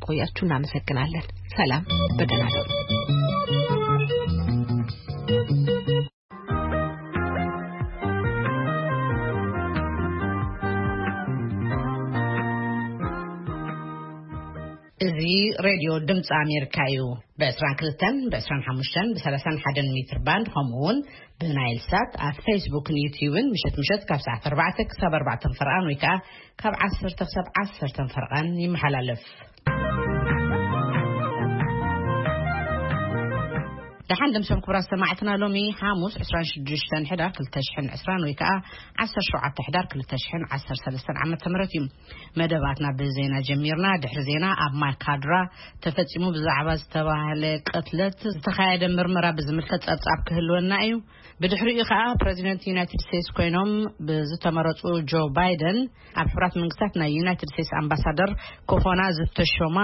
ቆያችሁ እናመሰግናለን። ሰላም፣ በደህና እደሩ። እዚ ሬድዮ ድምፂ ኣሜሪካ እዩ። ብ22፣ ብ25፣ ብ31 ሜትር ባንድ፣ ከምኡ እውን ብናይል ሳት ኣብ ፌስቡክን ዩትዩብን ምሸት ምሸት ካብ ሰዓት 4 ክሳብ 4 ፈርቓን ወይ ከዓ ካብ 10 ክሳብ 10 ፈርቓን ይመሓላለፍ። ደሓን ደምሰም ክቡራት ሰማዕትና፣ ሎሚ ሓሙስ 26 ሕዳር 2020 ወይ ከዓ 17 ሕዳር 2013 ዓመተ ምህረት እዩ። መደባትና ብዜና ጀሚርና። ድሕሪ ዜና ኣብ ማይካድራ ተፈጺሙ ብዛዕባ ዝተባህለ ቅትለት ዝተኻየደ ምርመራ ብዝምልከት ጸብጻብ ክህልወና እዩ። ብድሕሪኡ ከኣ ፕረዚደንት ዩናይትድ ስቴትስ ኮይኖም ብዝተመረጹ ጆ ባይደን ኣብ ሕቡራት መንግስታት ናይ ዩናይትድ ስቴትስ ኣምባሳደር ክኾና ዝተሾማ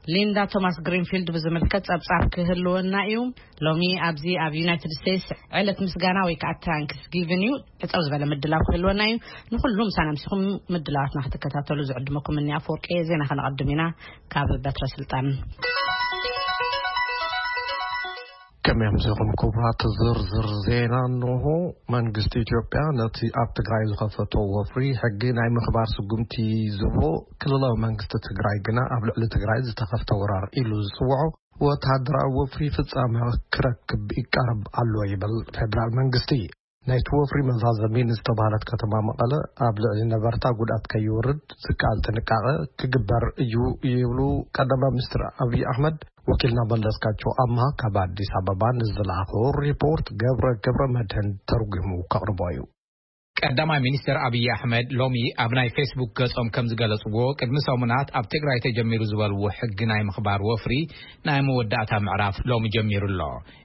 ሊንዳ ቶማስ ግሪንፊልድ ብዝምልከት ጸብጻብ ክህልወና እዩ። ሎሚ ኣብዚ ኣብ ዩናይትድ ስቴትስ ዕለት ምስጋና ወይ ከዓ ታንክስ ጊቭን እዩ። ሕጸው ዝበለ ምድላው ክህልወና እዩ። ንኹሉ ምሳና ምሲኹም ምድላዋትና ክትከታተሉ ዝዕድመኩም እኒ ኣፈወርቂ። ዜና ከነቐድም ኢና ካብ በትረ ስልጣን። ከመይ ኣምሲኹም ክቡራት? ዝርዝር ዜና እንሆ። መንግስቲ ኢትዮጵያ ነቲ ኣብ ትግራይ ዝኸፈቶ ወፍሪ ሕጊ ናይ ምኽባር ስጉምቲ ዝብሎ፣ ክልላዊ መንግስቲ ትግራይ ግና ኣብ ልዕሊ ትግራይ ዝተኸፍተ ወራር ኢሉ ዝጽውዖ ወተሃደራዊ ወፍሪ ፍጻመ ክረክብ ይቃረብ ኣሎ ይብል ፌደራል መንግስቲ። ናይቲ ወፍሪ መዛዘሚ ንዝተባህለት ከተማ መቐለ ኣብ ልዕሊ ነበርታ ጉድኣት ከይወርድ ዝከኣል ጥንቃቐ ክግበር እዩ ይብሉ ቀዳማይ ሚኒስትር ኣብይ ኣሕመድ። ወኪልና መለስካቸው ኣምሃ ካብ ኣዲስ ኣበባ ንዝለኣኾ ሪፖርት ገብረ ገብረ መድህን ተርጉሙ ከቕርቦ እዩ። ቀዳማይ ሚኒስትር ኣብይ ኣሕመድ ሎሚ ኣብ ናይ ፌስቡክ ገጾም ከም ዝገለጽዎ፣ ቅድሚ ሰሙናት ኣብ ትግራይ ተጀሚሩ ዝበልዎ ሕጊ ናይ ምኽባር ወፍሪ ናይ መወዳእታ ምዕራፍ ሎሚ ጀሚሩ ኣሎ።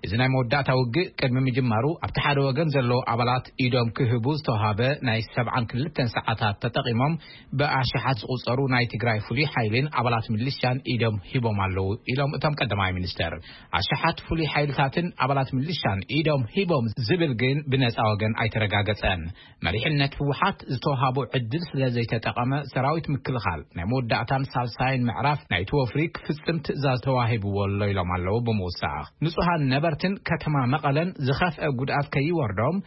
እዚ ናይ መወዳእታ ውግእ ቅድሚ ምጅማሩ፣ ኣብቲ ሓደ ወገን ዘለዉ ኣባላት ኢዶም ክህቡ ዝተዋሃበ ናይ 72 ሰዓታት ተጠቒሞም፣ ብኣሽሓት ዝቑጸሩ ናይ ትግራይ ፍሉይ ሓይልን ኣባላት ሚሊሻን ኢዶም ሂቦም ኣለዉ ኢሎም እቶም ቀዳማይ ሚኒስትር። ኣሽሓት ፍሉይ ሓይልታትን ኣባላት ሚሊሻን ኢዶም ሂቦም ዝብል ግን ብነጻ ወገን ኣይተረጋገጸን። መሪሕነት ህወሓት ዝተዋሃቦ ዕድል ስለ ዘይተጠቐመ፣ ሰራዊት ምክልኻል ናይ መወዳእታን ሳልሳይን ምዕራፍ ናይቲ ወፍሪ ክፍጽም ትእዛዝ ተዋሂብዎ ኣሎ ኢሎም ኣለዉ ብምውሳኽ። ንጹሃን ነበርትን ከተማ መቐለን ዝኸፍአ ጉድኣት ከይወርዶም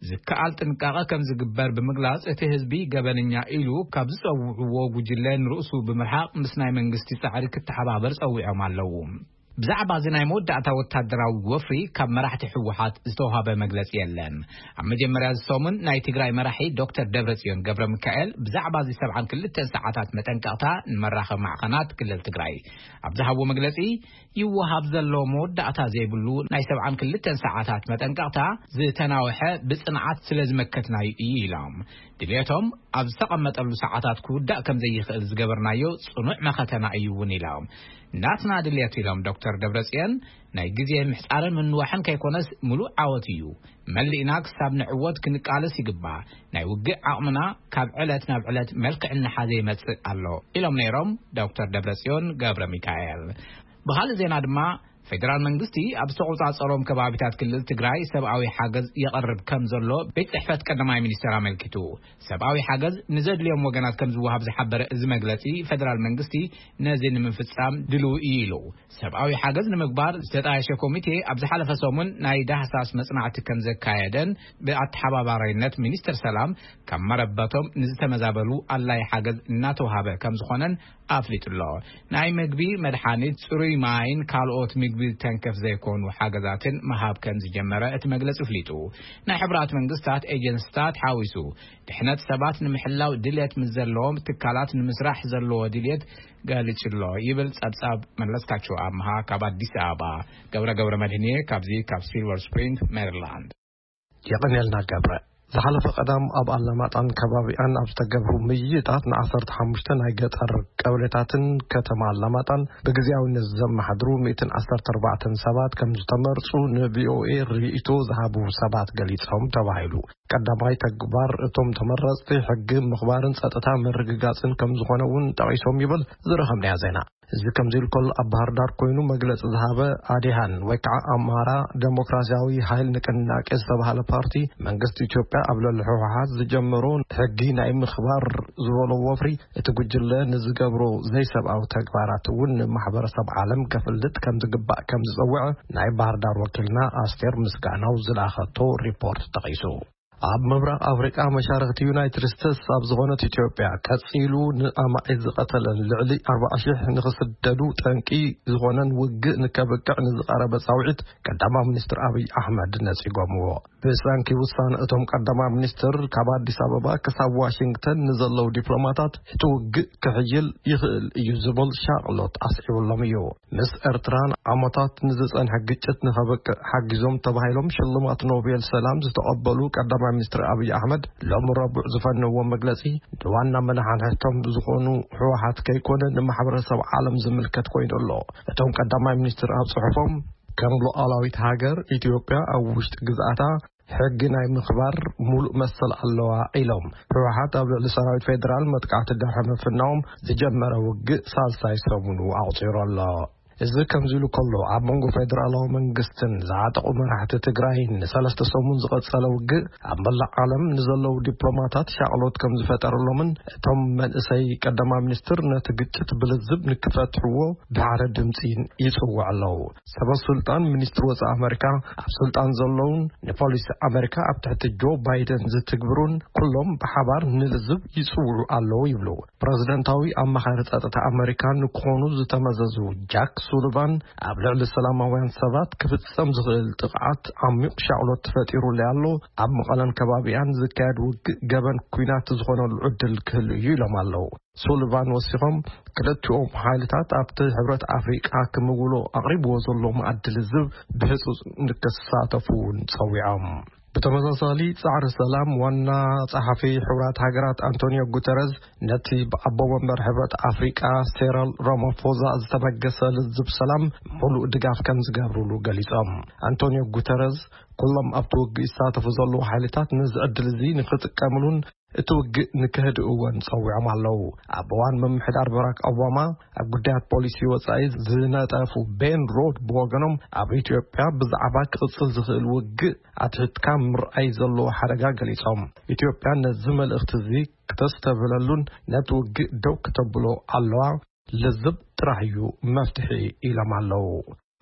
ዝከኣል ጥንቃቐ ከም ዝግበር ብምግላጽ፣ እቲ ህዝቢ ገበነኛ ኢሉ ካብ ዝጸውዕዎ ጉጅለ ንርእሱ ብምርሓቕ ምስ ናይ መንግስቲ ጻዕሪ ክተሓባበር ጸዊዖም ኣለዉ። ብዛዕባ እዚ ናይ መወዳእታ ወታደራዊ ወፍሪ ካብ መራሕቲ ህወሓት ዝተዋሃበ መግለጺ የለን። ኣብ መጀመርያ እዚ ሰሙን ናይ ትግራይ መራሒ ዶክተር ደብረጽዮን ገብረ ሚካኤል ብዛዕባ እዚ 72 ሰዓታት መጠንቀቕታ ንመራኸቢ ማዕኸናት ክልል ትግራይ ኣብ ዝሃብዎ መግለጺ፣ ይወሃብ ዘሎ መወዳእታ ዘይብሉ ናይ 72 ሰዓታት መጠንቀቕታ ዝተናውሐ ብጽንዓት ስለ ዝመከትናዩ እዩ ኢሎም። ድልየቶም ኣብ ዝተቐመጠሉ ሰዓታት ክውዳእ ከም ዘይኽእል ዝገበርናዮ ጽኑዕ መኸተና እዩ እውን ኢሎም። ናትና ድልየት ኢሎም ዶክተር ደብረጽዮን፣ ናይ ግዜ ምሕጻርን ምንዋሕን ከይኮነስ ምሉእ ዓወት እዩ። መሊእና ክሳብ ንዕወት ክንቃለስ ይግባእ። ናይ ውግእ ዓቕምና ካብ ዕለት ናብ ዕለት መልክዕ እናሓዘ ይመጽእ ኣሎ ኢሎም ነይሮም ዶክተር ደብረጽዮን ገብረ ሚካኤል። ብኻልእ ዜና ድማ፣ ፌደራል መንግስቲ ኣብ ዝተቆጻጸሮም ከባቢታት ክልል ትግራይ ሰብኣዊ ሓገዝ የቐርብ ከም ዘሎ ቤት ጽሕፈት ቀዳማይ ሚኒስትር ኣመልኪቱ። ሰብኣዊ ሓገዝ ንዘድልዮም ወገናት ከም ዝወሃብ ዝሓበረ እዚ መግለጺ፣ ፌደራል መንግስቲ ነዚ ንምፍጻም ድልው እዩ ኢሉ። ሰብኣዊ ሓገዝ ንምግባር ዝተጣየሸ ኮሚቴ ኣብ ዝሓለፈ ሰሙን ናይ ዳህሳስ መጽናዕቲ ከም ዘካየደን ብኣተሓባባሪነት ሚኒስትር ሰላም ካብ መረበቶም ንዝተመዛበሉ ኣድላይ ሓገዝ እናተዋሃበ ከም ዝኾነን ኣፍሊጡ ኣሎ። ናይ ምግቢ፣ መድሓኒት፣ ጽሩይ ማይን ካልኦት ምግቢ ተንከፍ ዘይኮኑ ሓገዛትን ምሃብ ከም ዝጀመረ እቲ መግለጺ ኣፍሊጡ። ናይ ሕቡራት መንግስታት ኤጀንስታት ሓዊሱ ድሕነት ሰባት ንምሕላው ድልየት ምስ ዘለዎም ትካላት ንምስራሕ ዘለዎ ድልየት ገሊጹ ኣሎ ይብል ጸብጻብ መለስካቸው ኣምሃ ካብ ኣዲስ ኣበባ። ገብረ ገብረ መድህንየ ካብዚ ካብ ሲልቨር ስፕሪንግ ሜሪላንድ። የቐንየልና ገብረ። ዝሓለፈ ቀዳም ኣብ ኣላማጣን ከባቢኣን ኣብ ዝተገብሩ ምይይጣት ን15 ናይ ገጠር ቀበሌታትን ከተማ ኣላማጣን ብግዜያውነት ዘመሓድሩ 114 ሰባት ከም ዝተመርጹ ን ቪ ኦ ኤ ርእይቶ ዝሃቡ ሰባት ገሊጾም ተባሂሉ። ቀዳማይ ተግባር እቶም ተመረጽቲ ሕጊ ምኽባርን ጸጥታ ምርግጋጽን ከም ዝኾነ እውን ጠቒሶም ይብል ዝረኸብናዮ ዜና። እዚ ከምዚ ኢሉ ከሎ፣ ኣብ ባህር ዳር ኮይኑ መግለጺ ዝሃበ ኣዴሃን ወይ ከዓ ኣማራ ዴሞክራሲያዊ ሓይል ንቅናቄ ዝተባህለ ፓርቲ፣ መንግስቲ ኢትዮጵያ ኣብ ልዕሊ ህወሓት ዝጀመሮ ሕጊ ናይ ምኽባር ዝበሎ ወፍሪ፣ እቲ ጉጅለ ንዝገብሮ ዘይሰብኣዊ ተግባራት እውን ንማሕበረሰብ ዓለም ከፍልጥ ከም ዝግባእ ከም ዝጸውዐ ናይ ባህር ዳር ወኪልና ኣስቴር ምስጋናው ዝለኣኸቶ ሪፖርት ጠቒሱ። ኣብ ምብራቕ ኣፍሪቃ፣ መሻርኽቲ ዩናይትድ ስቴትስ ኣብ ዝኾነት ኢትዮጵያ፣ ቀጺሉ ንኣማኢት ዝቐተለን ልዕሊ ኣርባዓ ሽሕ ንኽስደዱ ጠንቂ ዝኾነን ውግእ ንከብቅዕ ንዝቐረበ ጻውዒት ቀዳማይ ሚኒስትር ኣብይ ኣሕመድ ነጺጎምዎ። ብሰንኪ ውሳነ እቶም ቀዳማይ ሚኒስትር፣ ካብ ኣዲስ ኣበባ ክሳብ ዋሽንግተን ንዘለዉ ዲፕሎማታት፣ እቲ ውግእ ክሕይል ይኽእል እዩ ዝብል ሻቕሎት ኣስዒቡሎም እዩ። ምስ ኤርትራን ዓመታት ንዝጸንሐ ግጭት ንኸብቅዕ ሓጊዞም ተባሂሎም ሽልማት ኖቤል ሰላም ዝተቐበሉ ቀዳማይ ሚኒስትር ኣብይ ኣሕመድ፣ ሎም ረቡዕ ዝፈነዎ መግለጺ፣ ንዋና መናሓንሕቶም ዝኾኑ ህወሓት ከይኮነ፣ ንማሕበረሰብ ዓለም ዝምልከት ኮይኑ ኣሎ። እቶም ቀዳማይ ሚኒስትር ኣብ ጽሑፎም፣ ከም ሉዓላዊት ሃገር፣ ኢትዮጵያ ኣብ ውሽጢ ግዝኣታ ሕጊ ናይ ምኽባር ሙሉእ መሰል ኣለዋ ኢሎም። ህወሓት ኣብ ልዕሊ ሰራዊት ፌደራል መጥቃዕቲ ድሕሪ ምፍናዎም ዝጀመረ ውግእ ሳልሳይ ሰሙኑ ኣቑጺሩ ኣሎ። እዚ ከምዚ ኢሉ ከሎ፣ ኣብ መንጎ ፌደራላዊ መንግስትን ዝዓጠቑ መራሕቲ ትግራይን ንሰለስተ ሰሙን ዝቐጸለ ውግእ፣ ኣብ መላእ ዓለም ንዘለዉ ዲፕሎማታት ሻቕሎት ከም ዝፈጠረሎምን፣ እቶም መንእሰይ ቀዳማይ ሚኒስትር ነቲ ግጭት ብልዝብ ንክፈትሕዎ ብሓደ ድምፂ ይጽውዑ ኣለዉ። ሰበ ስልጣን ሚኒስትሪ ወፃኢ ኣመሪካ፣ ኣብ ስልጣን ዘለውን ንፖሊሲ ኣመሪካ ኣብ ትሕቲ ጆ ባይደን ዝትግብሩን፣ ኩሎም ብሓባር ንልዝብ ይጽውዑ ኣለዉ ይብሉ። ፕረዚደንታዊ ኣማኻሪ ጸጥታ ኣመሪካ ንክኾኑ ዝተመዘዙ ጃክ ሱሊቫን፣ ኣብ ልዕሊ ሰላማውያን ሰባት ክፍጸም ዝኽእል ጥቕዓት ዓሚቕ ሻቕሎት ተፈጢሩለይ ኣሎ፣ ኣብ መቐለን ከባቢኣን ዝካየድ ውግእ ገበን ኲናት ዝኾነሉ ዕድል ክህሉ እዩ ኢሎም ኣለዉ። ሱሊቫን ወሲኾም፣ ክልቲኦም ሓይልታት ኣብቲ ሕብረት ኣፍሪቃ ክምውሎ ኣቕሪብዎ ዘሎ መኣዲ ልዝብ ብህጹጽ ንክሳተፉ እውን ጸዊዖም። ብተመሳሳሊ፣ ጻዕሪ ሰላም ዋና ጸሓፊ ሕቡራት ሃገራት ኣንቶኒዮ ጉተረዝ፣ ነቲ ብኣቦ መንበር ሕብረት ኣፍሪቃ ሴረል ራማፎዛ ዝተበገሰ ልዝብ ሰላም ሙሉእ ድጋፍ ከም ዝገብሩሉ ገሊጾም። ኣንቶኒዮ ጉተረዝ፣ ኩሎም ኣብቲ ውግእ ይሳተፉ ዘለዉ ሓይልታት ነዚ ዕድል እዚ ንክጥቀምሉን እቲ ውግእ ንክህድእዎን ጸዊዖም ኣለዉ። ኣብ እዋን ምምሕዳር በራክ ኦባማ፣ ኣብ ጉዳያት ፖሊሲ ወጻኢ ዝነጠፉ ቤን ሮድ ብወገኖም፣ ኣብ ኢትዮጵያ ብዛዕባ ክቕጽል ዝኽእል ውግእ ኣትሒትካ ምርኣይ ዘለዎ ሓደጋ ገሊጾም፣ ኢትዮጵያ ነዚ መልእኽቲ እዚ ክተስተብህለሉን ነቲ ውግእ ደው ክተብሎ ኣለዋ፣ ልዝብ ጥራሕ እዩ መፍትሒ ኢሎም ኣለዉ።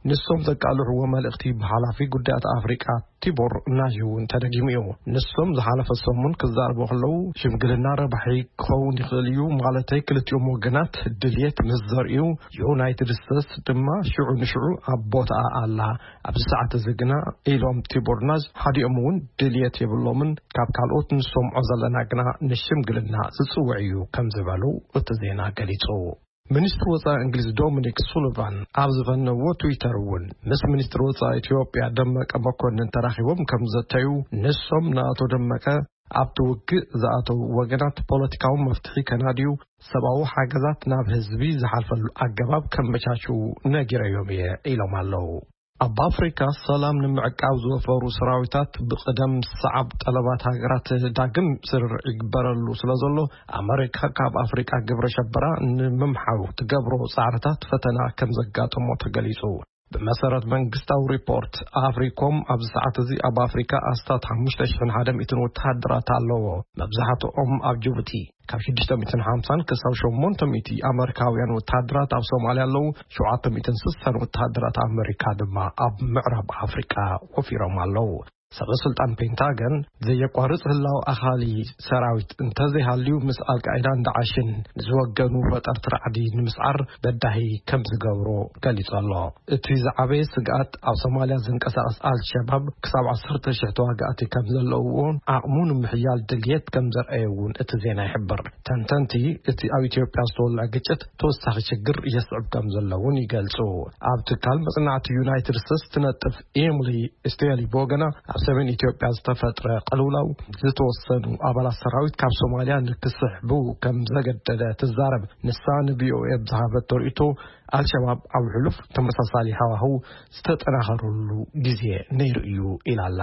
ንሶም ዘቃልሕዎ መልእኽቲ ብሓላፊ ጉዳያት ኣፍሪቃ ቲቦር ናዥ እውን ተደጊሙ እዩ። ንሶም ዝሓለፈ ሰሙን ክዛረቡ ከለዉ፣ ሽምግልና ረባሒ ክኸውን ይኽእል እዩ፣ ማለተይ ክልቲኦም ወገናት ድልየት ምስ ዘርእዩ፣ ዩናይትድ ስቴትስ ድማ ሽዑ ንሽዑ ኣብ ቦታኣ ኣላ። ኣብዚ ሰዓት እዚ ግና፣ ኢሎም ቲቦር ናዥ፣ ሓዲኦም እውን ድልየት የብሎምን፣ ካብ ካልኦት ንሰምዖ ዘለና ግና ንሽምግልና ዝጽውዕ እዩ ከም ዝበሉ እቲ ዜና ገሊጹ። ሚኒስትሪ ወጻኢ እንግሊዝ ዶሚኒክ ሱሊቫን ኣብ ዝፈነዎ ትዊተር እውን፣ ምስ ሚኒስትሪ ወጻኢ ኢትዮጵያ ደመቀ መኮንን ተራኺቦም ከም ዘተዩ፣ ንሶም ንኣቶ ደመቀ ኣብቲ ውግእ ዝኣተዉ ወገናት ፖለቲካዊ መፍትሒ ከናድዩ፣ ሰብኣዊ ሓገዛት ናብ ህዝቢ ዝሓልፈሉ ኣገባብ ከመቻችዉ ነጊረዮም እየ ኢሎም ኣለዉ። ኣብ ኣፍሪካ ሰላም ንምዕቃብ ዝወፈሩ ሰራዊታት ብቕደም ሰዓብ ጠለባት ሃገራት ዳግም ስርርዕ ይግበረሉ ስለ ዘሎ፣ ኣመሪካ ካብ ኣፍሪካ ግብረ ሸበራ ንምምሓው ትገብሮ ጻዕርታት ፈተና ከም ዘጋጠሞ ተገሊጹ። ብመሰረት መንግስታዊ ሪፖርት ኣፍሪኮም፣ ኣብዚ ሰዓት እዚ ኣብ ኣፍሪካ ኣስታት ሓሙሽተ ሽሕን ሓደ ሚእትን ወተሃደራት ኣለዎ። መብዛሕትኦም ኣብ ጅቡቲ። ካብ ሽዱሽተ ሚእትን ሓምሳን ክሳብ ሸሞንተ ሚእቲ ኣመሪካውያን ወተሃደራት ኣብ ሶማልያ ኣለዉ። ሸውዓተ ሚእትን ስሳን ወተሃደራት ኣመሪካ ድማ ኣብ ምዕራብ ኣፍሪቃ ወፊሮም ኣለዉ። ሰበ ስልጣን ፔንታገን፣ ዘየቋርጽ ህላው ኣኻሊ ሰራዊት እንተዘይሃልዩ፣ ምስ ኣልቃይዳን ዳዕሽን ንዝወገኑ ፈጠርቲ ራዕዲ ንምስዓር በዳሂ ከም ዝገብሮ ገሊጹ ኣሎ። እቲ ዝዓበየ ስግኣት፣ ኣብ ሶማልያ ዝንቀሳቐስ ኣልሸባብ ክሳብ ዓሰርተ ሽሕ ተዋጋእቲ ከም ዘለውዎን ዓቕሙ ንምሕያል ድልየት ከም ዘርኣየ እውን እቲ ዜና ይሕብር። ተንተንቲ፣ እቲ ኣብ ኢትዮጵያ ዝተወልዐ ግጭት ተወሳኺ ሽግር የስዕብ ከም ዘሎ እውን ይገልጹ። ኣብ ትካል መጽናዕቲ ዩናይትድ ስቴትስ ትነጥፍ ኤምሊ ስቴሊ ብወገና፣ ኣብ ሰሜን ኢትዮጵያ ዝተፈጥረ ቅልውላው፣ ዝተወሰኑ ኣባላት ሰራዊት ካብ ሶማልያ ንክስሕቡ ከም ዘገደደ ትዛረብ። ንሳ ንቪኦኤ ብዝሃበቶ ርእይቶ፣ ኣልሸባብ ኣብ ሕሉፍ ተመሳሳሊ ሃዋህው ዝተጠናኸረሉ ግዜ ነይሩ እዩ ኢላ ኣላ።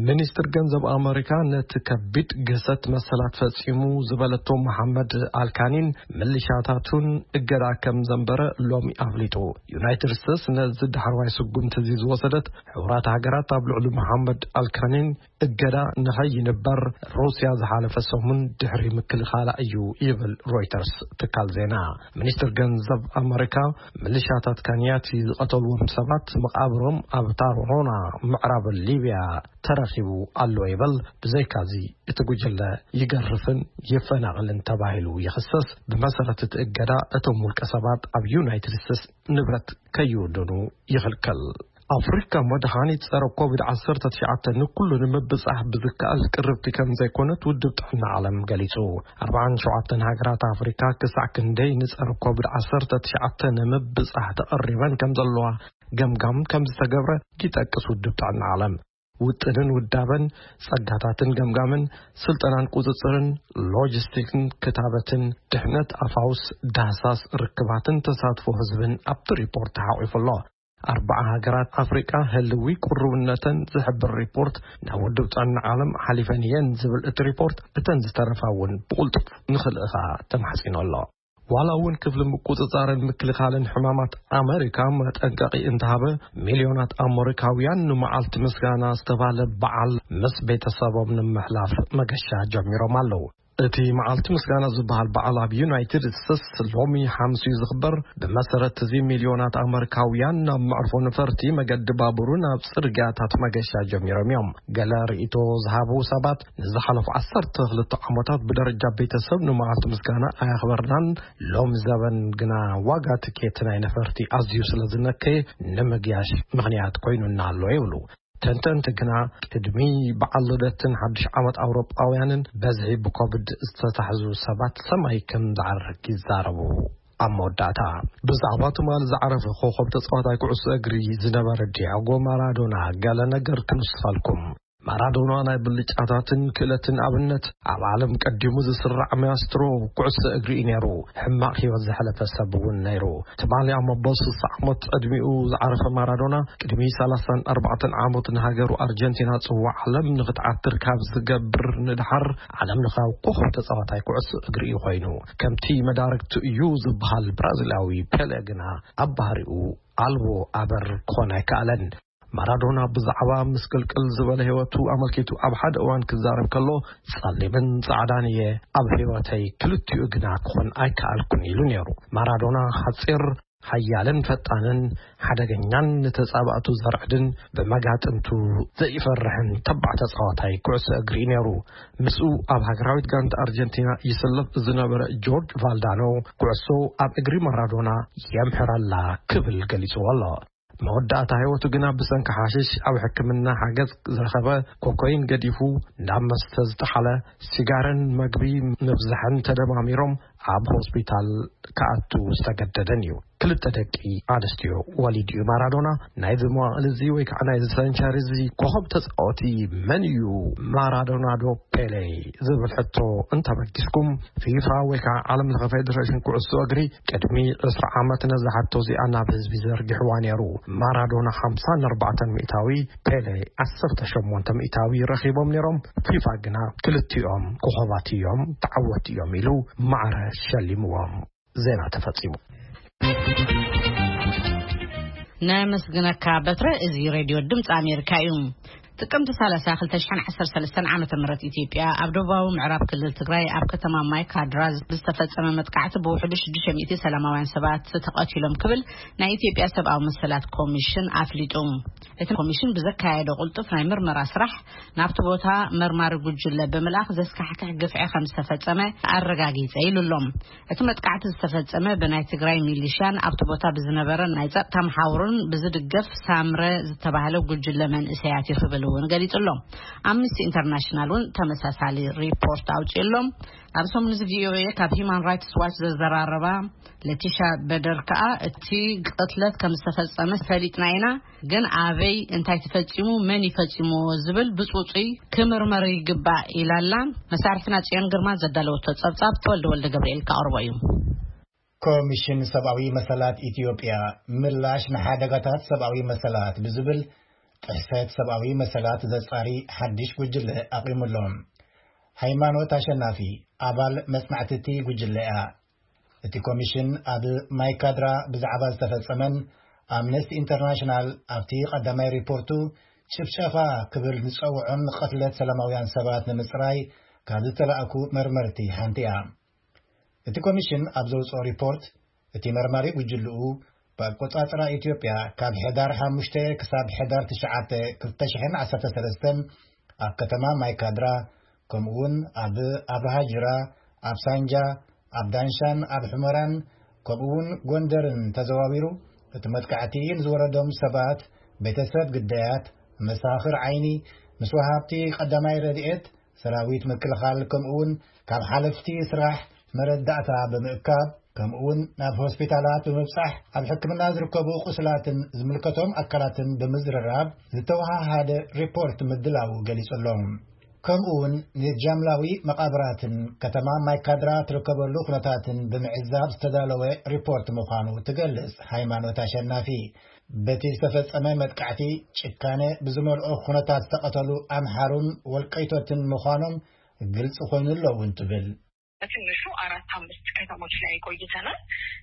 ሚኒስትር ገንዘብ ኣመሪካ ነቲ ከቢድ ግህሰት መሰላት ፈጺሙ ዝበለቶ መሓመድ ኣልካኒን ምልሻታቱን እገዳ ከም ዘንበረ ሎሚ ኣፍሊጡ። ዩናይትድ ስቴትስ ነዚ ዳሕረዋይ ስጉምቲ እዚ ዝወሰደት፣ ሕቡራት ሃገራት ኣብ ልዕሊ መሓመድ ኣልካኒን እገዳ ንኸይንበር ሩስያ ዝሓለፈ ሰሙን ድሕሪ ምክልኻላ እዩ ይብል ሮይተርስ ትካል ዜና። ሚኒስትር ገንዘብ ኣመሪካ፣ ምልሻታት ካንያቲ ዝቐተልዎም ሰባት መቓብሮም ኣብ ታሮሮና ምዕራብ ሊብያ ተረኺቡ ኣሎ ይበል። ብዘይካዚ እቲ ጉጅለ ይገርፍን ይፈናቕልን ተባሂሉ ይኽሰስ። ብመሰረት እቲ እገዳ እቶም ውልቀ ሰባት ኣብ ዩናይትድ ስቴትስ ንብረት ከይውድኑ ይኽልከል። ኣፍሪካ መድሃኒት ጸረ ኮቪድ ዓሰርተ ትሽዓተ ንኩሉ ንምብጻሕ ብዝከኣል ቅርብቲ ከም ዘይኮነት ውድብ ጥዕና ዓለም ገሊጹ። ኣርባዓን ሸውዓተን ሃገራት ኣፍሪካ ክሳዕ ክንደይ ንጸረ ኮቪድ ዓሰርተ ትሽዓተ ንምብጻሕ ተቐሪበን ከም ዘለዋ ገምጋም ከም ዝተገብረ ይጠቅስ ውድብ ጥዕና ዓለም። ውጥንን ውዳበን፣ ጸጋታትን ገምጋምን፣ ስልጠናን ቁጽጽርን፣ ሎጂስቲክን ክታበትን፣ ድሕነት ኣፋውስ፣ ዳህሳስ ርክባትን ተሳትፎ ህዝብን ኣብቲ ሪፖርት ተሓቒፉ ኣሎ። ኣርባዓ ሃገራት ኣፍሪቃ ህልዊ ቁርብነተን ዝሕብር ሪፖርት ናብ ውድብ ጥዕና ዓለም ሓሊፈን እየን ዝብል እቲ ሪፖርት፣ እተን ዝተረፋ እውን ብቕልጡፍ ንኽልእኻ ተማሕጺኑ ኣሎ። ዋላ እውን ክፍሊ ምቁጽጻርን ምክልኻልን ሕማማት ኣመሪካ መጠንቀቒ እንተሃበ፣ ሚልዮናት ኣመሪካውያን ንመዓልቲ ምስጋና ዝተባህለ በዓል ምስ ቤተሰቦም ንምሕላፍ መገሻ ጀሚሮም ኣለዉ። እቲ መዓልቲ ምስጋና ዝበሃል በዓል ኣብ ዩናይትድ ስቴትስ ሎሚ ሓሙስ እዩ ዝኽበር። ብመሰረት እዚ፣ ሚልዮናት ኣመሪካውያን ናብ መዕርፎ ነፈርቲ፣ መገዲ ባቡርን ኣብ ጽርግያታት መገሻ ጀሚሮም እዮም። ገለ ርእይቶ ዝሃቡ ሰባት፣ ንዝሓለፉ ዓሰርተ ክልተ ዓመታት ብደረጃ ቤተሰብ ንመዓልቲ ምስጋና ኣየኽበርናን፣ ሎም ዘበን ግና ዋጋ ትኬት ናይ ነፈርቲ ኣዝዩ ስለ ዝነከየ፣ ንምግያሽ ምኽንያት ኮይኑና ኣሎ ይብሉ። ተንተንቲ ግና፣ ቅድሚ በዓል ልደትን ሓድሽ ዓመት ኣውሮጳውያንን፣ በዝሒ ብኮቪድ ዝተታሕዙ ሰባት ሰማይ ከም ዝዓርግ ይዛረቡ። ኣብ መወዳእታ፣ ብዛዕባ ትማሊ ዝዓረፈ ኮኸብ ተጻዋታይ ኩዕሶ እግሪ ዝነበረ ዲያጎ ማራዶና ገለ ነገር ክንስፋልኩም። ማራዶና ናይ ብልጫታትን ክእለትን ኣብነት፣ ኣብ ዓለም ቀዲሙ ዝስራዕ ማያስትሮ ኩዕሶ እግሪ እዩ ነይሩ። ሕማቕ ህይወት ዘሕለፈ ሰብ እውን ነይሩ። ትማሊ ኣብ መበል ስሳ ዓመት ዕድሚኡ ዝዓረፈ ማራዶና፣ ቅድሚ ሰላሳን ኣርባዕተን ዓመት ንሃገሩ ኣርጀንቲና ጽዋዕ ዓለም ንኽትዓትር ካብ ዝገብር ንድሓር፣ ዓለም ለኻዊ ኮኸብ ተጻዋታይ ኩዕሶ እግሪ እዩ ኮይኑ። ከምቲ መዳርግቱ እዩ ዝበሃል ብራዚላዊ ፔለ ግና፣ ኣብ ባህሪኡ ኣልቦ ኣበር ክኾን ኣይከኣለን። ማራዶና ብዛዕባ ምስቅልቅል ዝበለ ህይወቱ ኣመልኪቱ ኣብ ሓደ እዋን ክዛረብ ከሎ፣ "ጸሊምን ጻዕዳን እየ፣ ኣብ ህይወተይ ክልቲኡ ግና ክኾን ኣይከኣልኩን" ኢሉ ነይሩ። ማራዶና ሓጺር፣ ሓያልን ፈጣንን፣ ሓደገኛን ንተጻባእቱ ዘርዕድን ብመጋጥምቱ ዘይፈርሕን ተባዕ ተጻዋታይ ኩዕሶ እግሪ እዩ ነይሩ። ምስኡ ኣብ ሃገራዊት ጋንታ ኣርጀንቲና ይስለፍ ዝነበረ ጆርጅ ቫልዳኖ፣ "ኩዕሶ ኣብ እግሪ ማራዶና የምሕረላ" ክብል ገሊጽዎ ኣሎ። መወዳእታ ህይወቱ ግና ብሰንኪ ሓሽሽ ኣብ ሕክምና ሓገዝ ዝረኸበ፣ ኮኮይን ገዲፉ ናብ መስተ ዝጠሓለ፣ ሲጋረን መግቢ ምብዛሕን ተደማሚሮም ኣብ ሆስፒታል ክኣቱ ዝተገደደን እዩ። ክልተ ደቂ ኣንስትዮ ወሊዱ እዩ። ማራዶና፣ ናይዚ መዋቕል እዚ ወይ ከዓ ናይዚ ሰንቸሪ እዚ ኮኸብ ተጻወቲ መን እዩ? ማራዶና ዶ ፔሌ? ዝብል ሕቶ እንተበጊስኩም፣ ፊፋ ወይ ከዓ ዓለም ለኸ ፌደሬሽን ኩዕሶ እግሪ ቅድሚ ዕስራ ዓመት ነዛ ሕቶ እዚኣ ናብ ህዝቢ ዘርጊሕዋ ነይሩ። ማራዶና ሓምሳን ኣርባዕተን ሚእታዊ፣ ፔሌ ዓሰርተ ሸሞንተ ሚእታዊ ረኺቦም ነይሮም። ፊፋ ግና ክልቲኦም ኮኸባት እዮም፣ ተዓወቲ እዮም ኢሉ ማዕረ ሸሊምዎም። ዜና ተፈጺሙ። ነመስግነካ በትረ። እዚ ሬድዮ ድምፂ ኣሜሪካ እዩ። ጥቅምቲ ሰላሳ ክልተ ሽሕን ዓሰርተ ሰለስተን ዓመተ ምህረት ኢትዮጵያ ኣብ ደቡባዊ ምዕራብ ክልል ትግራይ ኣብ ከተማ ማይ ካድራ ዝተፈጸመ መጥቃዕቲ ብውሕዱ ሽዱሽተ ሚእቲ ሰላማውያን ሰባት ተቐቲሎም ክብል ናይ ኢትዮጵያ ሰብኣዊ መሰላት ኮሚሽን ኣፍሊጡ። እቲ ኮሚሽን ብዘካየዶ ቅልጡፍ ናይ ምርመራ ስራሕ ናብቲ ቦታ መርማሪ ጉጅለ ብምልኣኽ ዘስካሕክሕ ግፍዒ ከም ዝተፈጸመ ኣረጋጊጸ ኢሉ ኣሎ። እቲ መጥቃዕቲ ዝተፈጸመ ብናይ ትግራይ ሚሊሽያን ኣብቲ ቦታ ብዝነበረ ናይ ጸጥታ መሓውርን ብዝድገፍ ሳምረ ዝተባህለ ጉጅለ መንእሰያት እዩ ክብል እውን ገሊጹ ኣሎ። ኣምነስቲ ኢንተርናሽናል እውን ተመሳሳሊ ሪፖርት ኣውጺኡ ኣሎ። ኣብ ሰሙን እዚ ቪኦኤ ካብ ሂማን ራይትስ ዋች ዘዘራረባ ለቲሻ በደር ከኣ እቲ ቅትለት ከም ዝተፈጸመ ፈሊጥና ኢና፣ ግን ኣበይ እንታይ ተፈጺሙ፣ መን ይፈጺምዎ ዝብል ብጽጹይ ክምርመር ይግባእ ኢላላ። መሳርሕትና ጽዮን ግርማ ዘዳለወቶ ጸብጻብ ተወልደ ወልደ ገብርኤል ከቕርቦ እዩ። ኮሚሽን ሰብኣዊ መሰላት ኢትዮጵያ ምላሽ ንሓደጋታት ሰብኣዊ መሰላት ብዝብል ጥሕሰት ሰብኣዊ መሰላት ዘጻሪ ሓድሽ ጉጅለ ኣቒሙ ኣሎ። ሃይማኖት ኣሸናፊ ኣባል መጽናዕቲ እቲ ጉጅለ እያ። እቲ ኮሚሽን ኣብ ማይካድራ ብዛዕባ ዝተፈጸመን ኣምነስቲ ኢንተርናሽናል ኣብቲ ቀዳማይ ሪፖርቱ ጭፍጨፋ ክብል ዝጸውዖን ቅትለት ሰላማውያን ሰባት ንምጽራይ ካብ ዝተላእኩ መርመርቲ ሓንቲ እያ። እቲ ኮሚሽን ኣብ ዘውጽኦ ሪፖርት፣ እቲ መርማሪ ጉጅልኡ ብኣቆጻጽራ ኢትዮጵያ ካብ ሕዳር ሓሙሽተ ክሳብ ሕዳር ትሽዓተ ክልተ ሽሕን ዓሰርተ ሰለስተን ኣብ ከተማ ማይካድራ፣ ከምኡውን ኣብ ኣብርሃ ጅራ፣ ኣብ ሳንጃ፣ ኣብ ዳንሻን ኣብ ሑመራን፣ ከምኡውን ጎንደርን ተዘዋዊሩ፣ እቲ መጥቃዕቲ ንዝወረዶም ሰባት፣ ቤተሰብ ግዳያት፣ መሳኽር ዓይኒ፣ ምስ ወሃብቲ ቀዳማይ ረድኤት፣ ሰራዊት ምክልኻል፣ ከምኡውን ካብ ሓለፍቲ ስራሕ መረዳእታ ብምእካብ፣ ከምኡውን ናብ ሆስፒታላት ብምብጻሕ፣ ኣብ ሕክምና ዝርከቡ ቁስላትን ዝምልከቶም ኣካላትን ብምዝርራብ ዝተወሃሃደ ሪፖርት ምድላው ገሊጹ ኣሎ። ከምኡውን ንጃምላዊ መቓብራትን ከተማ ማይካድራ ትርከበሉ ኩነታትን ብምዕዛብ ዝተዳለወ ሪፖርት ምዃኑ ትገልጽ ሃይማኖት ኣሸናፊ። በቲ ዝተፈጸመ መጥቃዕቲ ጭካነ ብዝመልኦ ኩነታት ዝተቐተሉ ኣምሓሩን ወልቀይቶትን ምዃኖም ግልጽ ኮይኑ ኣሎ እውን ትብል። በትንሹ አራት አምስት ከተሞች ላይ ቆይተናል።